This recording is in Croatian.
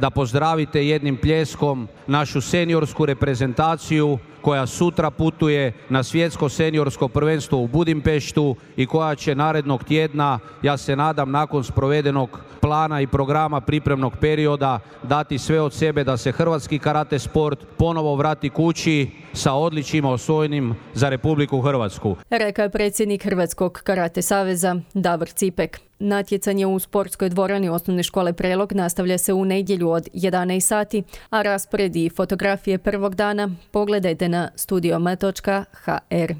da pozdravite jednim pljeskom našu seniorsku reprezentaciju koja sutra putuje na svjetsko seniorsko prvenstvo u Budimpeštu i koja će narednog tjedna, ja se nadam nakon sprovedenog plana i programa pripremnog perioda, dati sve od sebe da se hrvatski karate sport ponovo vrati kući sa odličjima osvojenim za Republiku Hrvatsku. Rekao je predsjednik Hrvatskog karate saveza Davor Cipek. Natjecanje u sportskoj dvorani Osnovne škole Prelog nastavlja se u nedjelju od 11 sati, a raspored i fotografije prvog dana pogledajte na studioma.hr.